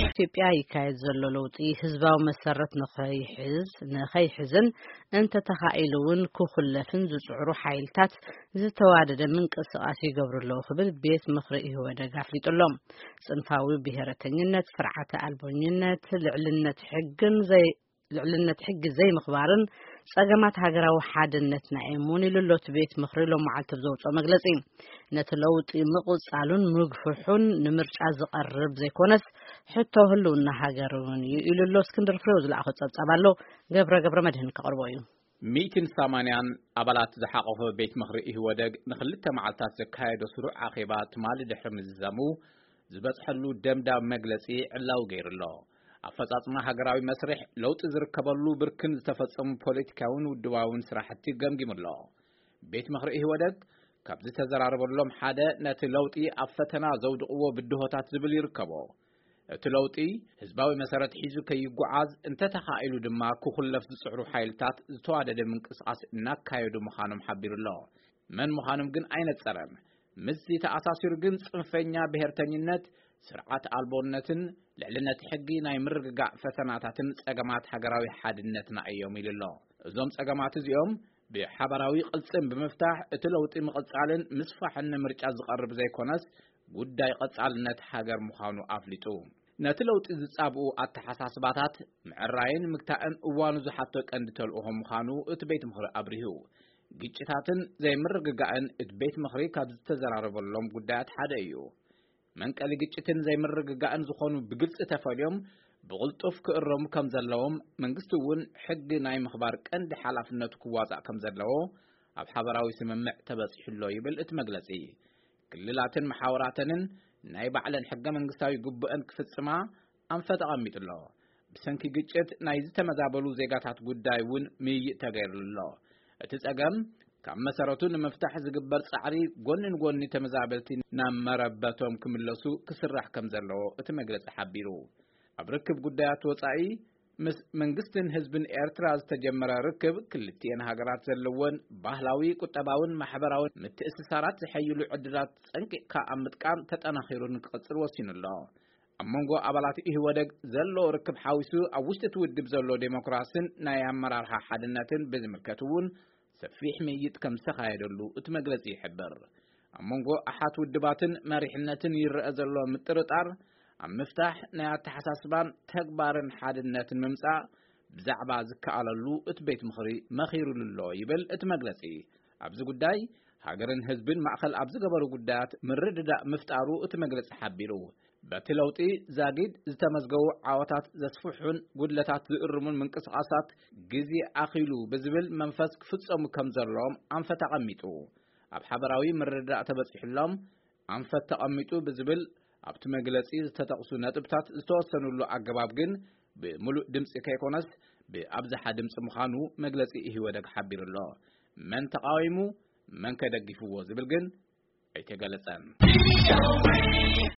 ኢትዮጵያ ይካየድ ዘሎ ለውጢ ህዝባዊ መሰረት ንኸይሕዝ ንኸይሕዝን እንተተኻኢሉ እውን ክኹለፍን ዝጽዕሩ ሓይልታት ዝተዋደደ ምንቅስቓስ ይገብሩ ኣለዉ ክብል ቤት ምኽሪ ኢህወደግ ኣፍሊጡ ኣሎ። ጽንፋዊ ብሔረተኝነት፣ ስርዓተ ኣልቦኝነት፣ ልዕልነት ሕግን ዘይ ልዕልነት ሕጊ ዘይምኽባርን ጸገማት ሃገራዊ ሓድነትና እዮም እውን ኢሉ ኣሎ እቲ ቤት ምኽሪ ሎም መዓልቲ ብዘውፅኦ መግለጺ። ነቲ ለውጢ ምቕጻሉን ምግፍሑን ንምርጫ ዝቐርብ ዘይኮነስ ሕቶ ህልውና ሃገር እውን እዩ ኢሉ ኣሎ። እስክንድር ፍሬው ዝለኣኾ ጸብጻብ ኣሎ፣ ገብረ ገብረ መድህን ከቕርቦ እዩ። ሚእትን ሰማንያን ኣባላት ዝሓቆፈ ቤት ምኽሪ ኢህወደግ ንኽልተ መዓልታት ዘካየዶ ስሩዕ ኣኼባ ትማሊ ድሕሪ ምዝዛሙ ዝበጽሐሉ ደምዳም መግለጺ ዕላዊ ገይሩ ኣሎ። ኣፈጻጽማ ሃገራዊ መስርሕ ለውጢ ዝርከበሉ ብርክን ዝተፈጸሙ ፖለቲካውን ውድባውን ስራሕቲ ገምጊሙ ኣሎ። ቤት ምኽሪ ኢህወደግ ካብ ዝተዘራረበሎም ሓደ ነቲ ለውጢ ኣብ ፈተና ዘውድቕዎ ብድሆታት ዝብል ይርከቦ። እቲ ለውጢ ህዝባዊ መሰረት ሒዙ ከይጓዓዝ እንተተኻኢሉ ድማ ክኹለፍ ዝጽዕሩ ሓይልታት ዝተዋደደ ምንቅስቓስ እናካየዱ ምዃኖም ሓቢሩ ኣሎ። መን ምዃኖም ግን ኣይነጸረን። ምስዚ ተኣሳሲሩ ግን ጽንፈኛ ብሔርተኝነት፣ ስርዓት ኣልቦነትን ልዕልነት ሕጊ ናይ ምርግጋእ ፈተናታትን ጸገማት ሃገራዊ ሓድነትና እዮም ኢሉ ኣሎ። እዞም ጸገማት እዚኦም ብሓባራዊ ቅልጽም ብምፍታሕ እቲ ለውጢ ምቕጻልን ምስፋሕን ንምርጫ ዝቐርብ ዘይኮነስ ጉዳይ ቀጻልነት ሃገር ምዃኑ ኣፍሊጡ። ነቲ ለውጢ ዝጻብኡ ኣተሓሳስባታት ምዕራይን ምግታእን እዋኑ ዝሓቶ ቀንዲ ተልእኾ ምዃኑ እቲ ቤት ምኽሪ ኣብሪሁ። ግጭታትን ዘይምርግጋእን እቲ ቤት ምኽሪ ካብ ዝተዘራረበሎም ጉዳያት ሓደ እዩ። መንቀሊ ግጭትን ዘይምርግጋእን ዝኾኑ ብግልጺ ተፈልዮም ብቕልጡፍ ክእረሙ ከም ዘለዎም፣ መንግስቲ እውን ሕጊ ናይ ምኽባር ቀንዲ ሓላፍነቱ ክዋጻእ ከም ዘለዎ ኣብ ሓበራዊ ስምምዕ ተበጺሑ ኣሎ ይብል እቲ መግለጺ። ክልላትን መሓውራተንን ናይ ባዕለን ሕገ መንግስታዊ ግቡአን ክፍጽማ ኣንፈት ኣቐሚጡ ኣሎ። ብሰንኪ ግጭት ናይ ዝተመዛበሉ ዜጋታት ጉዳይ እውን ምይይጥ ተገይሩሉ ኣሎ። እቲ ጸገም ካብ መሰረቱ ንምፍታሕ ዝግበር ጻዕሪ ጎኒ ንጎኒ ተመዛበልቲ ናብ መረበቶም ክምለሱ ክስራሕ ከም ዘለዎ እቲ መግለጺ ሓቢሩ። ኣብ ርክብ ጉዳያት ወጻኢ ምስ መንግስትን ህዝብን ኤርትራ ዝተጀመረ ርክብ ክልቲኤን ሃገራት ዘለወን ባህላዊ፣ ቁጠባውን ማሕበራውን ምትእስሳራት ዝሐይሉ ዕድላት ጸንቂቕካ ኣብ ምጥቃም ተጠናኺሩ ንክቕጽል ወሲኑ ኣሎ። ኣብ መንጎ ኣባላት ኢህወደግ ዘሎ ርክብ ሓዊሱ ኣብ ውሽጢ እቲ ውድብ ዘሎ ዴሞክራስን ናይ ኣመራርሓ ሓድነትን ብዝምልከት እውን ሰፊሕ ምይይጥ ከም ዝተኻየደሉ እቲ መግለጺ ይሕብር። ኣብ መንጎ ኣሓት ውድባትን መሪሕነትን ይረአ ዘሎ ምጥርጣር ኣብ ምፍታሕ ናይ ኣተሓሳስባን ተግባርን ሓድነትን ምምጻእ ብዛዕባ ዝከኣለሉ እቲ ቤት ምኽሪ መኺሩሉ ኣሎ ይብል እቲ መግለጺ። ኣብዚ ጉዳይ ሃገርን ህዝብን ማእኸል ኣብ ዝገበሩ ጉዳያት ምርድዳእ ምፍጣሩ እቲ መግለጺ ሓቢሩ። በቲ ለውጢ ዛጊድ ዝተመዝገቡ ዓወታት ዘስፍሑን ጉድለታት ዝእርሙን ምንቅስቓሳት ግዜ ኣኺሉ ብዝብል መንፈስ ክፍጸሙ ከም ዘለዎም ኣንፈት ኣቐሚጡ። ኣብ ሓበራዊ ምርድዳእ ተበጺሑሎም ኣንፈት ተቐሚጡ ብዝብል ኣብቲ መግለጺ ዝተጠቕሱ ነጥብታት ዝተወሰኑሉ ኣገባብ ግን ብምሉእ ድምጺ ከይኮነስ ብኣብዝሓ ድምጺ ምዃኑ መግለጺ ኢህወደግ ሓቢሩ ኣሎ። መን ተቓዊሙ፣ መን ከ ደጊፍዎ ዝብል ግን ኣይተገለጸን።